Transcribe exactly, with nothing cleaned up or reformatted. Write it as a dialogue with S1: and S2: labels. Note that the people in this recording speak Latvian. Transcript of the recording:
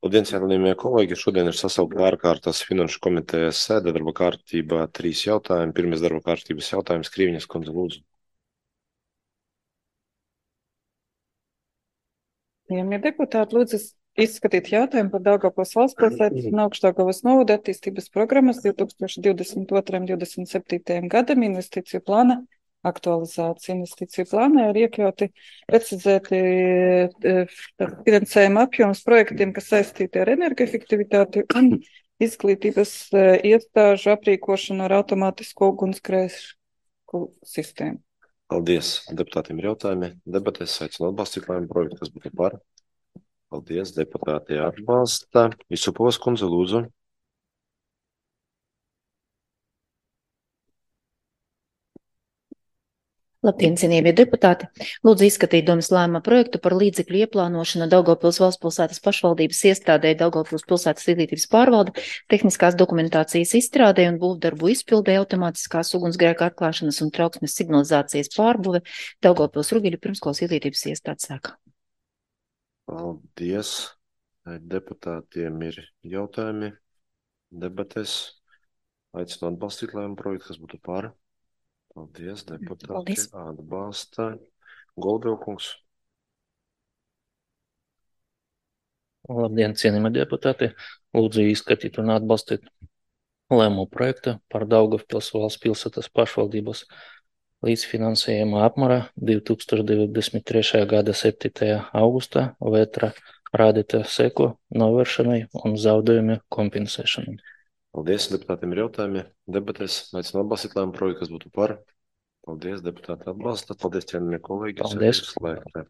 S1: Labdien, cienījamie kolēģi! Šodien ir sasaukta ārkārtas finanšu komitejas sēde, darba kārtībā trīs jautājumi. Pirmais darba kārtības jautājums, Krīviņas kundze, lūdzu.
S2: Cienījamie deputāti, lūdzu izskatīt jautājumu par Daugavpils valsts pilsētas un Augšdaugavas novada attīstības programmas divi tūkstoši divdesmit otrais un divdesmit septītajam gadam investīciju plāna aktualizācija. Investīciju plānā ir iekļauti precizēti finansējuma apjoms projektiem, kas saistīti ar energoefektivitāti un izglītības iestāžu aprīkošanu ar automātisku ugunsgrēku sistēmu.
S1: Paldies. Deputātiem ir jautājumi. Debatēs aicinu atbalstīt lēmumu projektu, kas būtu par. Paldies. Deputāti atbalsta. Isupovas kundze, lūdzu.
S3: Labdien, cienījamie deputāti! Lūdzu izskatīt domas lēmuma projektu par līdzekļu ieplānošanu Daugavpils valsts pilsētas pašvaldības iestādē Daugavpils pilsētas izglītības pārvalde, tehniskās dokumentācijas izstrādē un būvdarbu izpildē, automātiskās ugunsgrēka atklāšanas un trauksmes signalizācijas pārbūve Daugavpils Rugeļu pirmskolas izglītības iestādes sēkā.
S1: Paldies. Deputātiem ir jautājumi. Debatēs aicinu atbalstīt lēmumu projektu, kas būtu par. Paldies, deputāti.
S3: Paldies.
S1: Atbalsta. Goldvilkungs.
S4: Labdien, cienījamie deputāti! Lūdzu izskatīt un atbalstīt lēmumu projektu par Daugavpils valsts pilsētas pašvaldības līdzfinansējuma apmērā divi tūkstoši divdesmit trešā gada septītajā augustā vētra rādītā seku novēršanai un zaudējumu kompensēšanai.
S1: Paldies, deputātiem ir jautājumi. Debatēs aicinu atbalstīt lēmumu projektu, kas būtu par. Paldies, deputāti atbalsta. Paldies, cienījamie kolēģi.
S4: Paldies.
S1: Sēde ir slēgta.